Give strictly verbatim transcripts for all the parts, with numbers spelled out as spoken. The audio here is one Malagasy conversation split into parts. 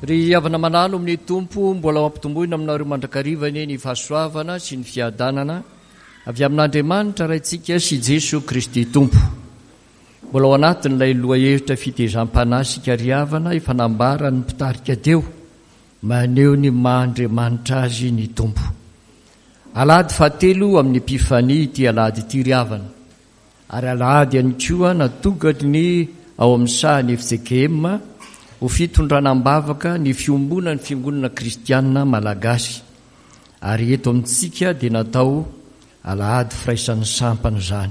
Ry havana malala ao amin'ny Tompo, mbola ho ampitomboina aminareo mandrakariva anie ny fahasoavana sy ny fiadanana avy amin'Andriamanitra Raintsika sy Jesoa Kristy Tompo. Mbola ao anatin'ilay lohahevitra fitezam-panahy isika ry havana efa nambaran'ny mpitarika teo, maneho ny maha Andriamanitra azy ny Tompo. Alahady fahatelo amin'ny Epifania ity alahady ity ry havana. Ary alahady ihany koa natokany ao amin'ny sahan'ny F C K M ho fitondrana am-bavaka ny fiombonan'ny Fiangonana Kristianina Malagasy. Ary eto amintsika dia natao alahady firaisan'ny sampana izany.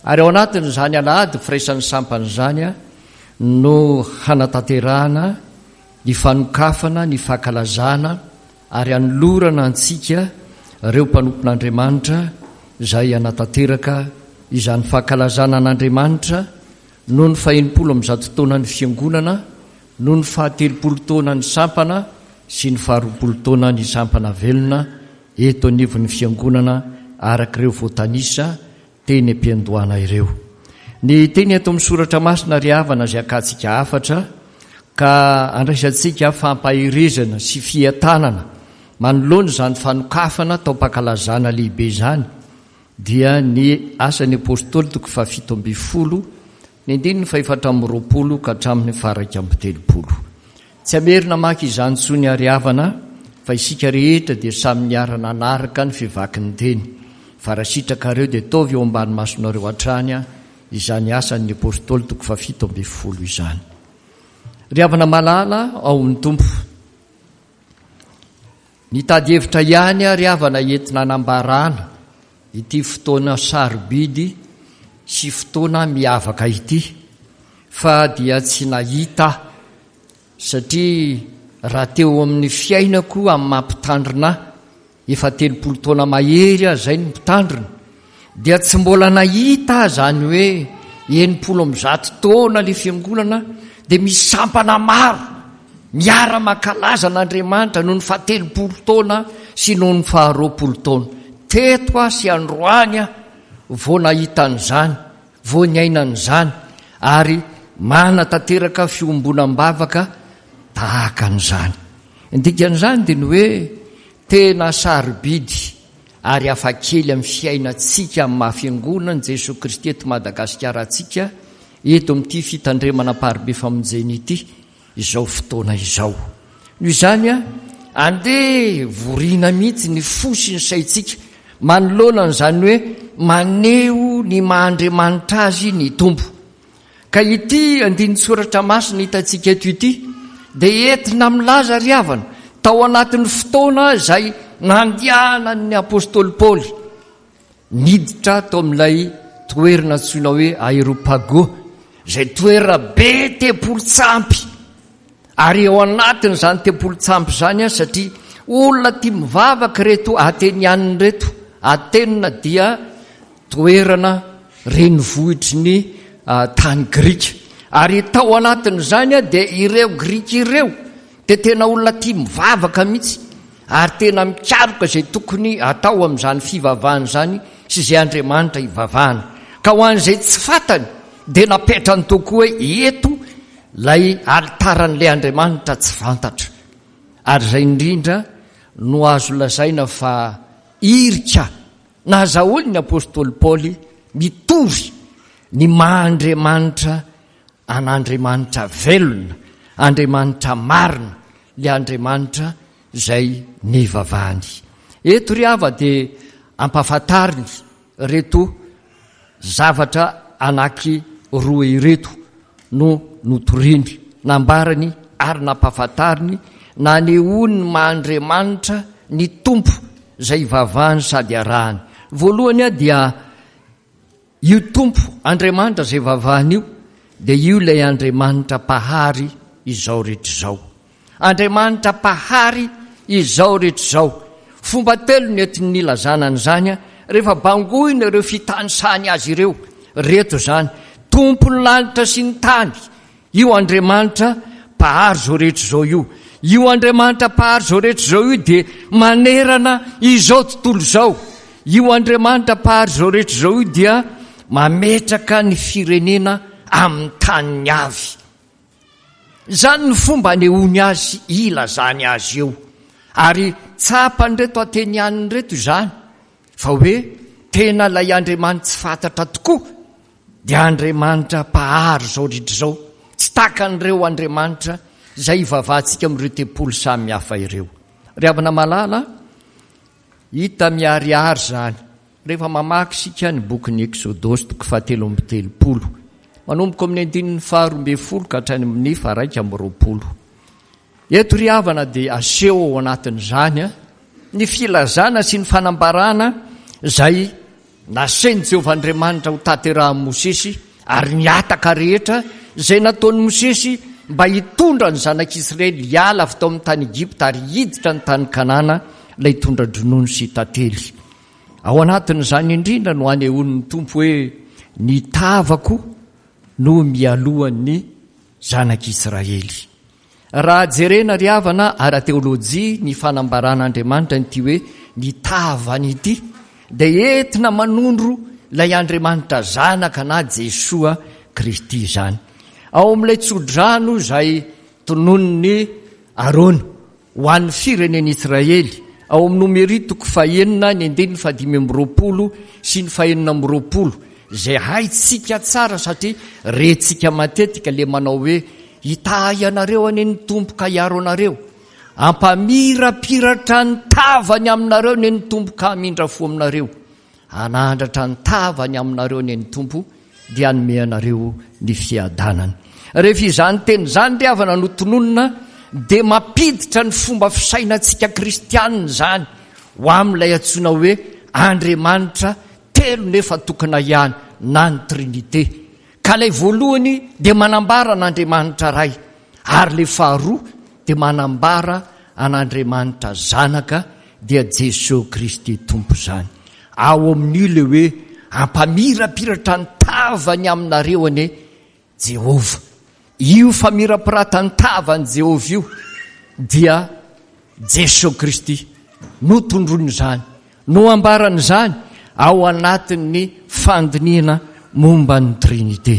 Ary ao anatin'izany alahady firaisan'ny sampana izany no hanatanterahana ny fanokafana, ny fankalazana ary hanolorana antsika ireo mpanompon'Andriamanitra izay hanatanteraka izany fankalazana an'Andriamanitra noho ny fahenimpolo amby zato taonan'ny Fiangonana, noho ny fahatelopolo taonan'ny sampana sy ny faharoapolo taonan'ny sampana velona eto anivon'ny Fiangonana araka ireo voatanisa teny am-piandohana ireo. Ny teny eto amin'ny soratra masina ry havana izay akantsika hafatra ka andraisantsika fampaherezana sy fientanana manoloana izany fanokafana taom-pankalazana lehibe izany dia ny asan'ny Apôstôly toko fahafito ambin'ny folo ny andininy fahefatra amby roapolo ka hatramin'ny faharaika amby telopolo. Tsy hamerina maka izany intsony ary havana fa isika rehetra dia samy niara-nanaraka ny fivakin'ny teny. Fa raha sitrakareo dia ataovy eo ambany masonareo hatrany izany asan'ny Apôstôly toko fahafito ambin'ny folo izany. Ry havana malala ao amin'ny Tompo, nitady hevitra ihany ary havana entina hanambarana ity fotoana sarobidy sy fotoana miavaka ity, fa dia tsy nahita aho, satria raha teo amin'ny fiainako amin'ny maha mpitandrina ahy, efa telopolo taona mahery aho izay no mpitandrina, dia tsy mbola nahita aho izany hoe enimpolo amby zato taona ilay fiangonana dia misy sampana maro miara-mankalaza an'Andriamanitra noho ny fahatelopolo taona sy noho ny faharoapolo taona. Teto aho sy androany aho vao nahita an'izany, vao niaina an'izany, ary manatanteraka fiombonam-bavaka tahaka an'izany. Ny dikan'izany dia ny hoe tena sarobidy ary hafakely amin'ny fiainantsika amin'ny maha fiangonan'i Jesoa Kristy eto Madagasikara antsika eto amin'ity fitandremana Amparibe Famonjena ity izao fotoana izao. Noho izany, andeha vorina mihitsy ny fo sy ny saintsika manoloana an'izany hoe maneho ny maha Andriamanitra azy ny Tompo. Ka ity andinin-tsoratra masina hitantsika eto ity dia entina milaza ry havana tao anatin'ny fotoana izay nandehanan'ny Apôstôly Paoly niditra tao amin'ilay toerana antsoina hoe Areopago, izay toerana be tempoly-tsampy. Ary ao anatin'izany tempoly-tsampy izany, satria olona tia mivavaka ireto Atenianina ireto, Atena dia toerana renivohitry ny tany grika. Ary tao anatin'izany dia ireo grika ireo dia tena olona tia mivavaka mihitsy ary tena mikaroka izay tokony atao amin'izany fivavahana izany sy izay Andriamanitra ivavahana. Ka ho an'izay tsy fantany dia napetrany tokoa hoe eto ilay alitaran'ilay Andriamanitra tsy fantatra. Ary izay indrindra no azo lazaina fa irika nahazahoany ny Apôstôly Paoly mitory ny maha Andriamanitra an'Andriamanitra velona, Andriamanitra marina, ilay Andriamanitra izay nivavahany. Eto ry hava dia ampahafantariny ireto zavatra anaky roa ireto no notoriny, nambarany ary nampahafantariny, nanehoany ny maha Andriamanitra ny Tompo izay ivavahany sady arahany. Voalohany dia io Tompo Andriamanitra izay ivavahany io dia io ilay Andriamanitra mpahary izao rehetra izao. Andriamanitra mpahary izao rehetra izao. Fomba telo no entin'ny nilazana an'izany rehefa bangoina ireo fitanisany azy ireo. Reto izany, Tompon'ny lanitra sy ny tany, io Andriamanitra mpahary izao rehetra izao io. Io Andriamanitra mpahary izao rehetra izao io dia manerana izao tontolo izao. Io Andriamanitra mpahary izao rehetra izao io dia mametraka ny firenena amin'ny taniny avy. Izany ny fomba anehoany azy, ilazany azy eo. Ary tsapan'ireto Atenianina ireto izany, fa hoe tena ilay Andriamanitsy fantatra tokoa dia Andriamanitra mpahary izao rehetra izao, tsy takan'ireo Andriamanitra izay ivavahantsika amin'ireo tempoly samihafa ireo. Ry havana malala, hita miharihary izany rehefa mamaky isika ny bokin'ny Eksodosy toko fahatelo amby telopolo, manomboka amin'ny andininy faharoa ambin'ny folo ka hatrany amin'ny faharaika amby roapolo. Eto ry havana dia aseho ao anatin'izany ny filazana sy ny fanambarana izay nasain'i Jehovah Andriamanitra ho tanterahin'i Mosesy ary ny hataka rehetra izay nataon'i Mosesy mba hitondra ny zanak'Israely hiala avy tao amin'ny tany Egypta ary hiditra ny tany Kanana, ilay tondra-dronono sy tantely. Ao anatin'izany indrindra no anehoan'ny Tompo hoe ny tavako no mialohan'ny zanak'Israely. Raha jerena ry havana ara-teolojia ny fanambaran'Andriamanitra an'ity hoe ny tavany ity dia entina manondro ilay Andriamanitra Zanaka na Jesoa Kristy izany. Ao amin'ilay tsodrano izay tononin'i Arona ho an'ny firenen'Israely, ao amin'ny Nomery toko fahenina ny andininy fahadimy amby roapolo sy ny fahenina amby roapolo, izay haintsika tsara satria rentsika matetika ilay manao hoe hitahy anareo anie ny Tompo ka hiaro anareo, hampamirapiratra ny tavany aminareo anie ny Tompo ka hamindra fo aminareo, hanandratra ny tavany aminareo anie ny Tompo dia hanome anareo ny fiadanany. Rehefa izany teny izany ry havana no tononina dia mampiditra ny fomba fisainantsika kristianina izany ho amin'ilay antsoina hoe Andriamanitra telo nefa tokana ihany na ny Trinite. Ka ilay voalohany dia manambara an'Andriamanitra Ray, ary ilay faharoa dia manambara an'Andriamanitra Zanaka, dia Jesoa Kristy Tompo izany. Ao amin'io ilay hoe hampamirapiratra ny tavany aminareo anie Jehovah. Io famirapiratan'ny tavan'i Jehovah io dia Jesoa Kristy no tondroin'izany, no ambaran'izany ao anatin'ny fandinihana momba ny Trinite.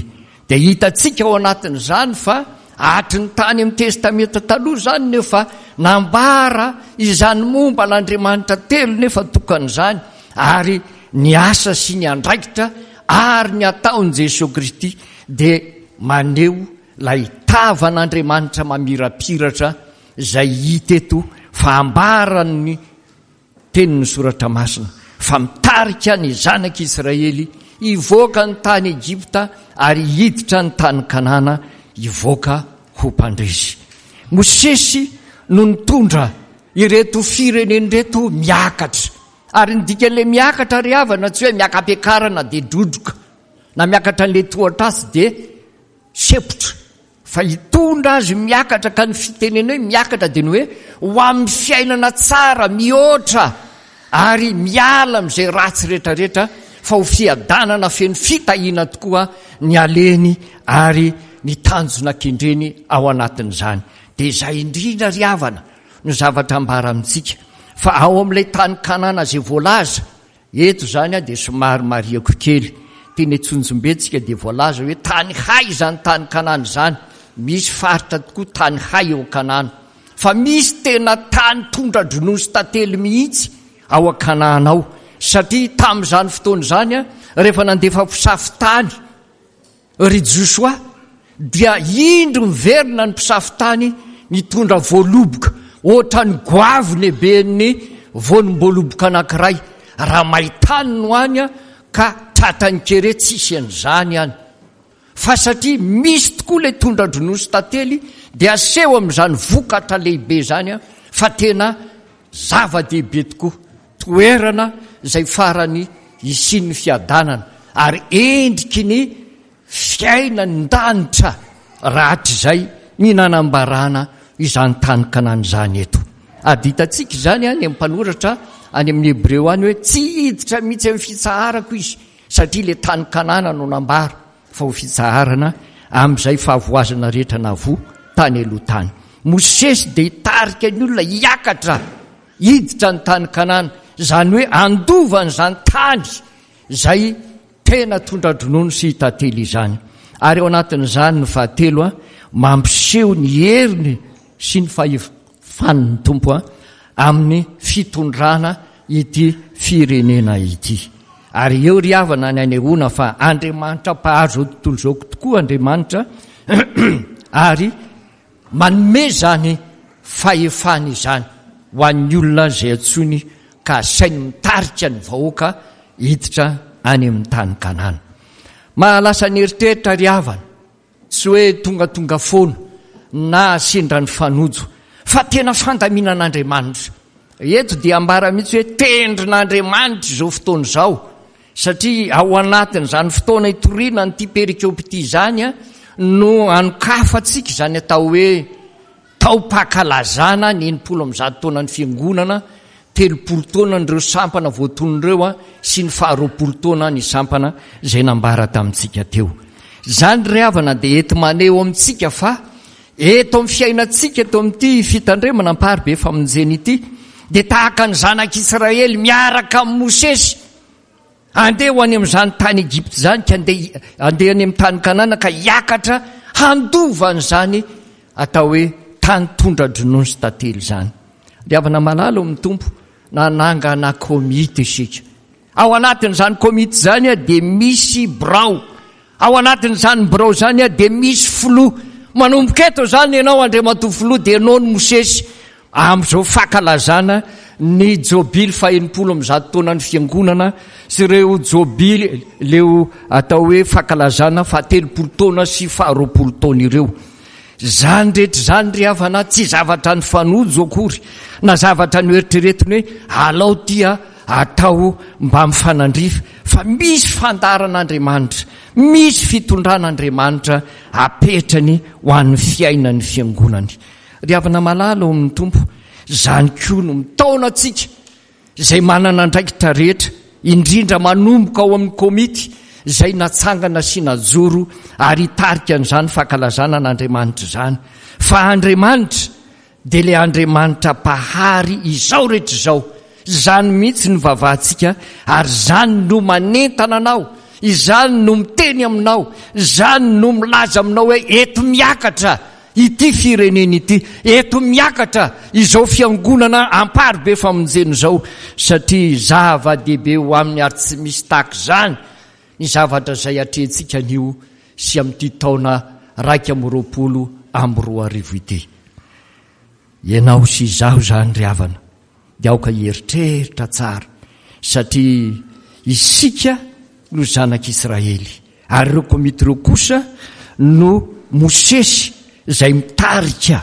Dia hitantsika ao anatin'izany fa hatry ny tany amin'ny Testamenta Taloha izany nefa nambara izany momba an'Andriamanitra telo nefa tokana izany, ary ny asa sy ny andraikitra ary ny ataon'i Jesoa Kristy dia maneho ilay tavan'Andriamanitra mamirapiratra izay hita eto fa ambaran'ny tenin'ny Soratra Masina fa mitarika ny zanak'Israely hivoaka ny tany Egypta ary hiditra ny tany Kanana hivoaka ho mpandresy. Mosesy no nitondra ireto firenena ireto miakatra. Ary ny dikan'ilay miakatra ry havana tsy hoe miaka-piakarana dia drodroka na miakatra an'ilay tohatrasy dia sepotra, fa hitondra azy miakatra, ka ny fitenena hoe miakatra dia ny hoe ho amin'ny fiainana tsara mihoatra ary miala amin'izay ratsy rehetrarehetra, fa ho fiadanana feno fitahiana tokoa ny aleny ary ny tanjona kendreny ao anatin'izany. Dia izay indrindra ry havana no zavatra ambara amintsika, fa ao amin'ilay tany Kanana izay voalaza eto izany dia somary marihako kely, teny Antsonjombe-tsika dia voalaza hoe tany hay izany tany Kanana izany, misy faritra tokoa tany hay eo Kanana, fa misy tena tany tondra-dronono sy tantely mihitsy ao Kanana ao, satria tamin'izany fotoana izany rehefa nandefa mpisafo tany ry Josoa dia indro miverina ny mpisafo tany nitondra voaloboka ohatran'ny goavy lehiben'ny voanom-boaloboka anankiray, raha maitany no any ka tratran'ny kere tsisy an'izany any, fa satria misy tokoa ilay tondra-dronono sy tantely dia aseho amin'izany vokatra lehibe izany fa tena zava-dehibe tokoa, toerana izay farany hisian'ny fiadanana ary endriky ny fiainan-danitra rahatrizay ny nanambarana izany tany Kanana izany eto. Ary hitantsika izany any amin'ny mpanoratra any amin'ny Hebreo any hoe tsy hiditra mihitsy amin'ny fitsaharako izy, satria ilay tany Kanana no nambara fa ho fitsaharana amin'izay fahavoazana rehetra navoa tany aloha tany. Mosesy dia hitarika ny olona hiakatra hiditra ny tany Kanana, izany hoe handova an'izany tany izay tena tondra-dronono sy tantely izany. Ary ao anatin'izany ny fahatelo, mampiseho ny heriny sy ny fahefan'ny Tompo amin'ny fitondrana ity firenena ity. Ary eo ry havana ny anehoana fa Andriamanitra mpahary izao tontolo izao tokoa Andriamanitra ary manome izany fahefana izany ho an'ny olona izay antsoiny ka asainy mitarika ny vahoaka hiditra any amin'ny tany Kanana. Mahalasa ny eritreritra ry havana, tsy hoe tongatonga foana na sendra ny fanojo, fa tena fandaminan'Andriamanitra. Eto dia ambara mihitsy hoe tendrin'Andriamanitra izao fotoana izao, satria ao anatin'izany fotoana itoriana an'ity perikopa ity izany no anokafantsika izany atao hoe taom-pankalazana ny enimpolo amby zato taonan'ny fiangonana, telopolo taona an'ireo sampana voatonona ireo sy ny faharoapolo taona ny sampana izay nambara tamintsika teo. Izany ry havana dia enti-maneho amintsika fa eto amin'ny fiainantsika eto amin'ity fitandremana amparibe famonjena ity dia tahaka ny zanak'Israely miaraka amin'i Mosesy andeha ho any amin'izany tany Egypta izany ka andeha andeha any amin'ny tany Kanana ka hiakatra handova an'izany atao hoe tany tondra-dronono sy tantely izany. Ry havana malala ao amin'ny Tompo, nanangana komity isika. Ao anatin'izany komity izany dia misy birao. Ao anatin'izany birao izany dia misy filoha. Manomboka eto izany ianao Andriamatoa Filoha dia ianao no Mosesy amin'izao fankalazana ny jobily fahenimpolo amby zato taonan'ny fiangonana sy ireo jobily leo atao hoe fankalazana fahatelopolo taona sy faharoapolo taona ireo. Izany rehetra izany ry havana tsy zavatra nifanojo akory na zavatra noeritreretiny hoe alao ity atao mba mifanandrify fa misy fandaharan'Andriamanitra, misy fitondran'Andriamanitra apetrany ho an'ny fiainan'ny fiangonany. Ry havana malala ao amin'ny Tompo, izany koa no mitaona antsika izay manana andraikitra rehetra, indrindra manomboka ao amin'ny komity izay natsangana sy najoro ary hitarika an'izany fankalazana an'Andriamanitra izany, fa Andriamanitra dia ilay Andriamanitra Mpahary izao rehetra izao. Izany mihitsy no vavahantsika ary izany no manentana anao, izany no miteny aminao, izany no milaza aminao hoe eto miakatra ity firenena ity, eto miakatra izao fiangonana amparibe famonjena izao, satria zava-dehibe ho aminy ary tsy misy tahaka izany ny zavatra izay atrehintsika anio sy amin'ity taona iraika amby roapolo amby roa arivo ity. Ianao sy izaho izany ry havana dia aoka hieritreritra tsara satria isika no zanak'Israely ary ireo komity ireo kosa no Mosesy izay mitarika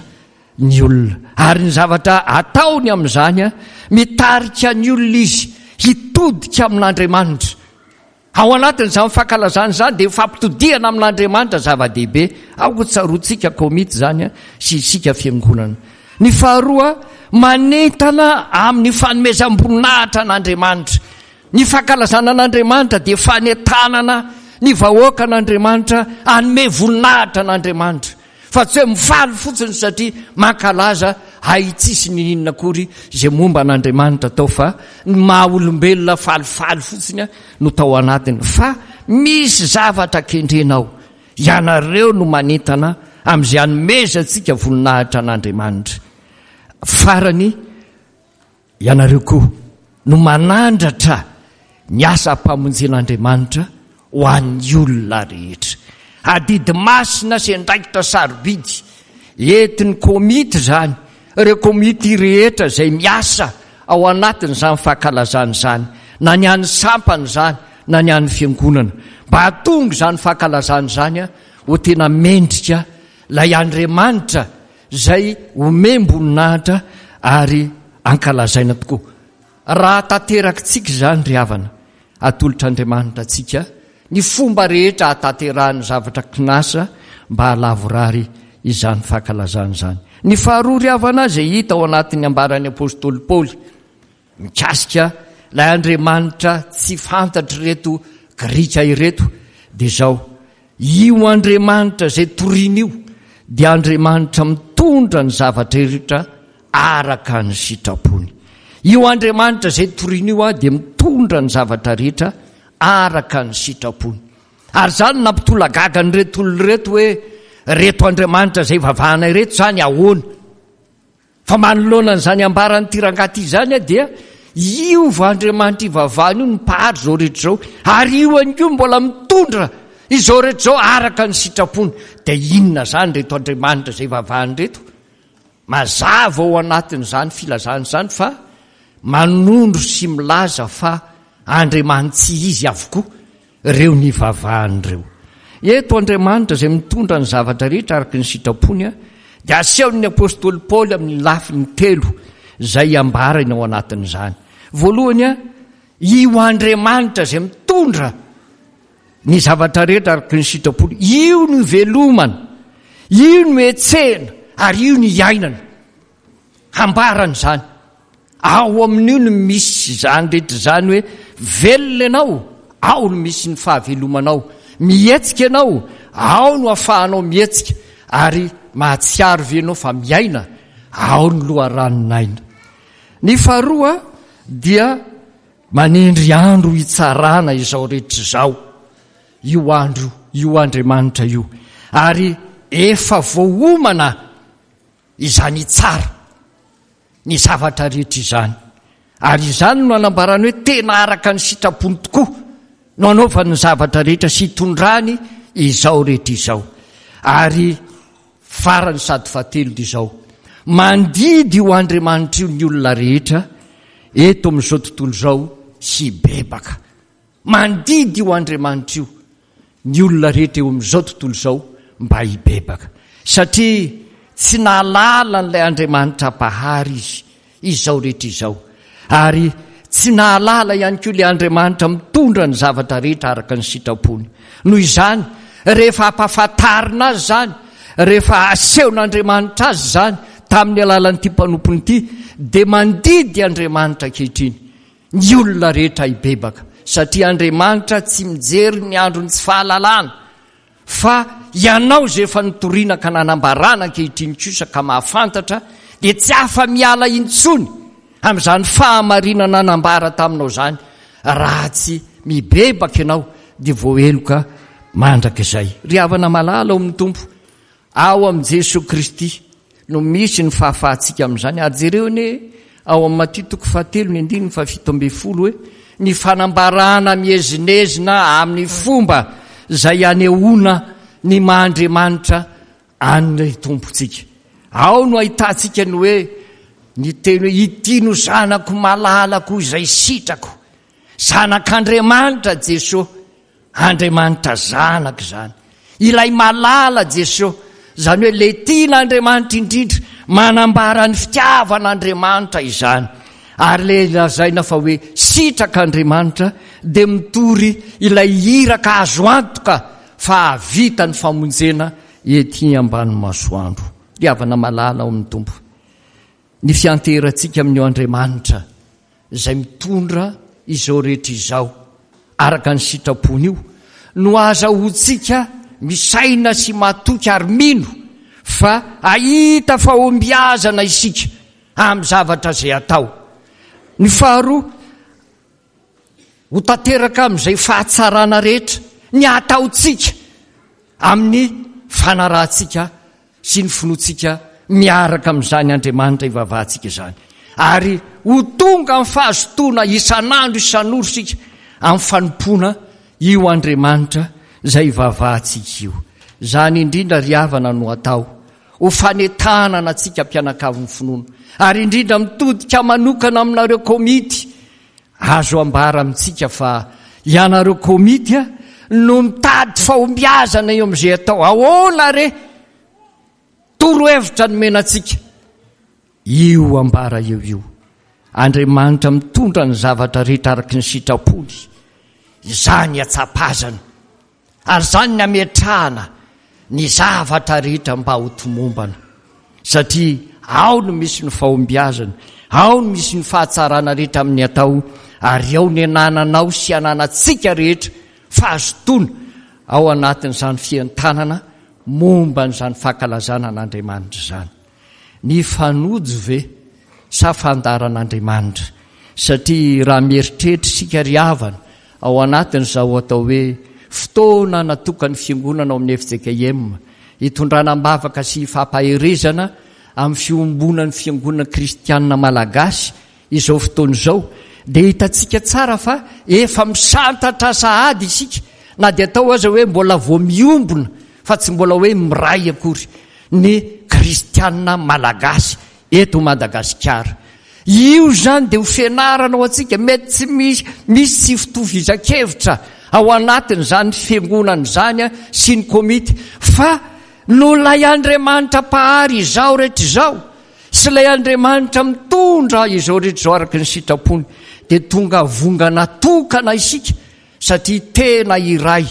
ny olona ary ny zavatra ataony amin'izany mitarika ny olona izy hitodika amin'Andriamanitra. Ao anatin'izany fankalazana izany dia fampitodihana amin'Andriamanitra zava-dehibe. Aoka tsaroantsika komity izany sy isika fiangonana. Ny faharoa, manentana amin'ny fanomezam-boninahitra an'Andriamanitra. Ny fankalazana an'Andriamanitra dia fanentanana ny vahoakan'Andriamanitra hanome voninahitra an'Andriamanitra. Fa tsy hoe mifaly fotsiny satria mankalaza hay tsisy nininona akory izay momba an'Andriamanitra tao fa ny maha olombelona falifaly fotsiny no tao anatiny fa misy zavatra kendrena ao. Ianareo no manentana amin'izay hanomezantsika voninahitra an'Andriamanitra. Farany, Ianareo koa no manandratra ny asam-pamonjen'Andriamanitra ho an'ny olona rehetra. Adidy masina sy andraikitra sarobidy entin'ny komity izany, ireo komity rehetra izay miasa ao anatin'izany fankalazana izany, na ny an'ny sampana izany na ny an'ny fiangonana, mba hahatonga izany fankalazana izany ho tena mendrika ilay Andriamanitra izay omem-boninahitra ary ankalazaina tokoa. Raha tanterakitsika izany ry havana, atolotr'Andriamanitra antsika ny fomba rehetra hahatanterahan'ny zavatra kinasa mba hahalavorary izany fankalazana izany. Ny faharoa ry havana izay hita ao anatin'ny ambaran'ny apostoly Paoly mikasika ilay Andriamanitra tsy fantatr'ireto Grika ireto dia izao, Io Andriamanitra izay torina io dia Andriamanitra mitondra ny zavatra rehetra araka ny sitrapony. Io Andriamanitra izay torina io dia mitondra ny zavatra rehetra araka ny sitrapony. Ary izany nampitolagaga an'ireto olona ireto hoe Reto Andriamanitra izay ivavahana ireto izany ahoana? Fa manoloana an'izany ambaran'ity rangahy ity izany dia io va Andriamanitra ivavahana io no mpahary izao rehetra izao, ary io ihany koa mbola mitondra izao rehetra izao araka ny sitrapony. Dia inona izany ireto Andriamanitra izay ivavahana ireto? Mazava ao anatin'izany filazana izany fa manondro sy milaza fa Andriamani-tsy izy avokoa ireo nivavahany ireo. Eto Andriamanitra izay mitondra ny zavatra rehetra araka ny sitrapony dia asehon'ny apostoly Paoly amin'ny lafiny telo izay ambarany ao anatin'izany. Voalohany, io Andriamanitra izay mitondra ny zavatra rehetra araka ny sitrapony, io no ivelomana, io no hetsehina ary io no iainana. Hambarany izany. Ao amin'io no misy izany rehetra izany hoe velona ianao, ao no misy ny fahavelomanao. Mihetsika ianao, ao no ahafahanao mihetsika ary mahatsiaro ve ianao fa miaina, ao ny loharanon'aina. Ny faharoa dia manendry andro hitsarana izao rehetra izao, io andro io Andriamanitra io, ary efa voaomana izany hitsara ny zavatra rehetra izany. Ary izany no anambarany hoe tena araka ny sitrapony tokoa no anaovany ny zavatra rehetra sy hitondrany izao rehetra izao. Ary farany sady fahatelo dia izao, mandidy io Andriamanitra io ny olona rehetra eto amin'izao tontolo izao hibebaka. Mandidy io Andriamanitra io ny olona rehetra eo amin'izao tontolo izao mba hibebaka, satria tsy nahalala an'ilay Andriamanitra Mpahary izy izao rehetra izao, ary tsy nahalala ihany koa ilay Andriamanitra mitondra ny zavatra rehetra araka ny sitrapony. Noho izany, rehefa ampahafantarina azy izany, rehefa asehon'Andriamanitra azy izany tamin'ny alalan'ity mpanompony ity, dia mandidy Andriamanitra ankehitriny ny olona rehetra hibebaka, satria Andriamanitra tsy mijery ny andron'ny tsy fahalalana, fa ianao izay efa notoriana ka nanambarana ankehitriny kosa ka mahafantatra, dia tsy afa-miala intsony amin'izany fahamarinana nambara taminao izany, raha tsy mibebaka ianao dia voaheloka mandrakizay. Ry havana malala ao amin'ny Tompo, ao amin'i Jesoa Kristy no misy ny fahafahantsika amin'izany. Ary jereo anie ao amin'ny Matio toko fahatelo ny andininy fahafito ambin'ny folo hoe ny fanambarana miezinezina amin'ny fomba izay anehoana ny maha Andriamanitra an'ny Tompontsika. Ao no ahitantsika ny hoe ny teny hoe ity no zanako malalako izay sitrako. Zanak'Andriamanitra Jesoa, Andriamanitra Zanaka izany. Ilay malala Jesoa, izany hoe ilay tian'Andriamanitra indrindra, manambara ny fitiavan'Andriamanitra izany. Ary ilay lazaina fa hoe sitrak'Andriamanitra dia mitory ilay iraka azo antoka fa hahavita ny famonjena ety ambany masoandro. Ry havana malala ao amin'ny Tompo, ny fianteherantsika amin'io Andriamanitra izay mitondra izao rehetra izao araka ny sitrapony io no ahazahoantsika misaina sy matoky ary mino fa hahita fahombiazana isika amin'ny zavatra izay atao. Ny faharoa, ho tanteraka amin'izay fahatsarana rehetra ny ataontsika amin'ny fanarahantsika sy ny finoantsika miaraka amin'izany Andriamanitra ivavahantsika izany, ary ho tonga amin'ny fahazotoana isan'andro isan'ora isika amin'ny fanompoana io Andriamanitra izay ivavahantsika io. Izany indrindra ry havana no atao ho fanentanana antsika mpianakavin'ny finoana, ary indrindra mitodika manokana aminareo komity. Azo ambara amintsika fa ianareo komity no mitady fahombiazana eo amin'izay atao. Ahoana re? Torohevitra nomena antsika io ambara eo io. Andriamanitra mitondra ny zavatra rehetra araka ny sitrapony. Izany atsapazana. Ary izany ny ametrahana ny zavatra rehetra mba ho tomombana. Satria ao no misy ny fahombiazana, ao no misy ny fahatsarana rehetra amin'ny atao, ary ao ny anananao sy ananantsika rehetra fahazotoana ao anatin'izany fientanana momba an'izany fankalazana an'Andriamanitra izany. Nifanojo ve sa fandaharan'Andriamanitra? Satria raha mieritreritra isika ry havana ao anatin'izao atao hoe fotoana natokan'ny Fiangonana ao amin'ny F J K M hitondrana am-bavaka sy hifampaherezana amin'ny fiombonan'ny fiangonana kristianina malagasy izao fotoana izao, dia hitantsika tsara fa efa misantatra sahady isika, na dia atao aza hoe mbola vao miombona fa tsy mbola hoe miray akory ny kristianina malagasy eto Madagasikara. Io izany dia ho fianarana ho antsika, mety tsy misy misy tsy fitovizan-kevitra ao anatin'izany fiangonana izany sy ny komity, fa noho ilay Andriamanitra Mpahary izao rehetra izao sy ilay Andriamanitra mitondra izao rehetra izao araka ny sitrapony, dia tonga vongana tokana isika satria tena iray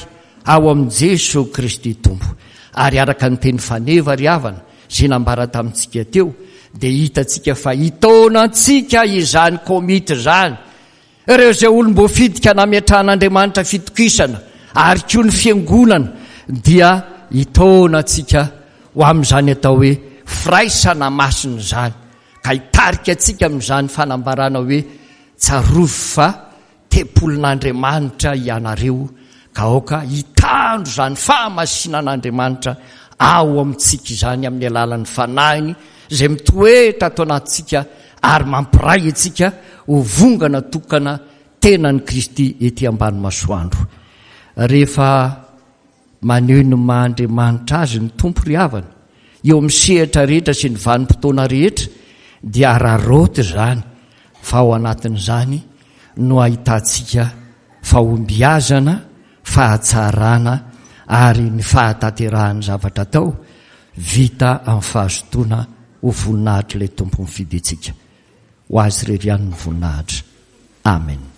ao amin'i Jeso Kristy Tompo. Ary araka ny teny faneva ry havana izay nambara tamintsika teo, dia hitantsika fa hitaona antsika izany komity izany, ireo izay olom-boafidy ka nametrahan'Andriamanitra fitokisana, ary koa ny fiangonana dia hitaona antsika ho amin'izany atao hoe firaisana masina izany, ka hitarika antsika amin'izany fanambarana hoe tsarovy fa tempolin'Andriamanitra ianareo, ka aoka hitandro izany fahamasinan'Andriamanitra ao amintsika izany amin'ny alalan'ny Fanahiny izay mitoetra ato anatintsika ary mampiray antsika ho vongana tokana tenan'i Kristy ety ambany masoandro. Rehefa maneho ny maha Andriamanitra azy ny Tompo ry havana, eo amin'ny sehatra rehetra sy ny vanim-potoana rehetra, dia araraoty izany, fa ao anatin'izany no ahitantsika fahombiazana, fahatsarana ary ny fahatanterahan'ny zavatra atao, vita amin'ny fahazotoana ho voninahitr'ilay Tompo mifidy antsika. Ho Azy irery ihany ny voninahitra. Amen.